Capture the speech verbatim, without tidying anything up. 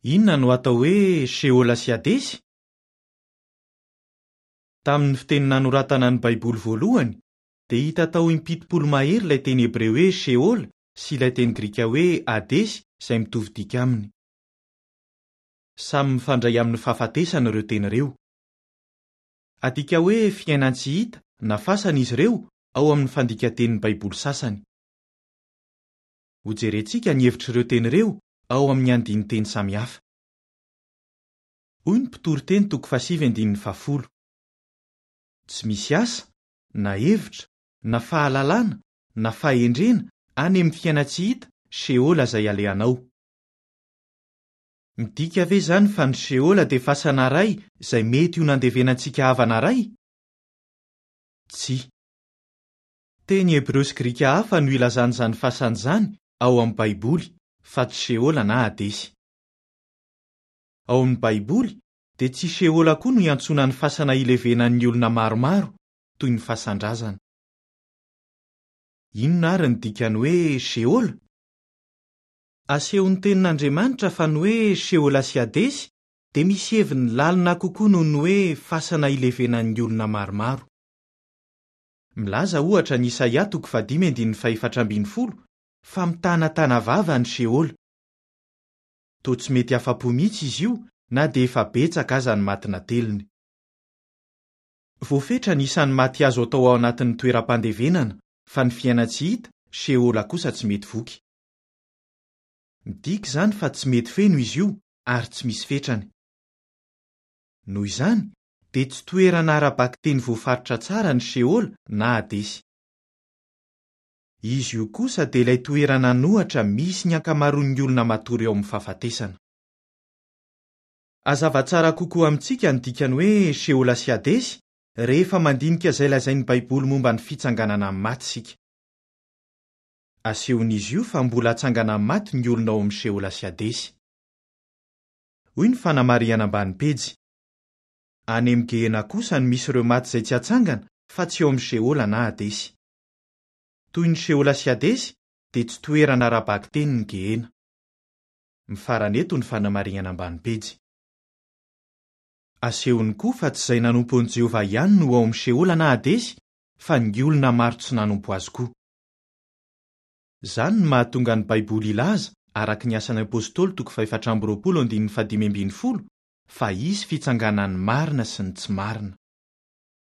Inona no atao hoe Sheola sy Hadesy? Tamin'ny fiteny nanoratana ny Baiboly voalohany dia hita tao impitopolo mahery ilay teny hebreo hoe Sheola sy ilay teny grika hoe Hadesy izay mitovy dika aminy. Samy mifandray amin'ny fahafatesana ireo teny ireo. Adika hoe fiainan-tsy hita na fasana izy ireo ao amin'ny fandikan-tenin'ny Baiboly sasany. Hojerentsika ny hevitr'ireo teny ireo ao amin'ny andinin-teny samihafa. Hoy ny mpitoriteny toko fahasivy andininy fahafolo. Tsy misy asa, na hevitra, na fahalalana, na fahendrena any amin'ny fiainan-tsy hita Sheola izay alehanao. Midika ve izany fa ny Sheola dia fasana iray izay mety ho nandevenantsika havana iray? Tsia. Teny hebreo sy grika hafa no ilazana izany fasana izany ao amin'ny Baiboly, fa tsy Sheola na Hadesy. Ao amin'ny Baiboly dia tsy Sheola koa no iantsoana ny fasana ilevenan'ny olona maromaro, toy ny fasan-drazana. Inona ary ny dikany hoe Sheola? Asehon'ny tenin'Andriamanitra fa ny hoe Sheola sy Hadesy dia misy heviny lalina kokoa noho ny hoe fasana ilevenan'ny olona maromaro. Milaza ohatra ny Isaia toko fahadimy andininy fahefatra ambin'ny folo fa mitanatana vava ny Sheola. Toa tsy mety afa-po mihitsy izy io na dia efa betsaka aza ny maty nateliny. Voafetra ny isan'ny maty azo atao ao anatin'ny toeram-pandevenana, fa ny fiainan-tsy hita, Sheola kosa tsy mety voky. Midika izany fa tsy mety feno izy io ary tsy misy fetrany. Noho izany, dia tsy toerana ara-bakiteny voafaritra tsara ny Sheola na Hadesy. Izy io kosa dia ilay toerana an'ohatra misy ny ankamaroan'ny olona matory eo amin'ny fahafatesana. Hazava tsara kokoa amintsika ny dikany hoe Sheola sy Hadesy rehefa mandinika izay lazain'ny Baiboly momba ny fitsanganana amin'ny maty isika. Asehon'izy io fa mbola hatsangana amin'ny maty ny olona ao amin'ny Sheola sy Hadesy. Hoy ny fanamarihana ambany pejy. Any amin'ny Gehena kosa no misy ireo maty izay tsy hatsangana fa tsy eo amin'ny Sheola na Hadesy. Toy ny Sheola sy Hadesy dia tsy toerana ara-bakiteny ny Gehena. Mifarana eto ny fanamarihana ambany pejy. Asehony koa fa tsy izay nanompo an'i Jehovah ihany no ao amin'ny Sheola na Hadesy fa ny olona maro tsy nanompo azy koa. Izany no mahatonga ny Baiboly hilaza, araka ny asan'ny Apôstôly toko fahefatra amby roapolo andininy fahadimy ambin'ny folo, fa hisy fitsanganan'ny marina sy ny tsy marina.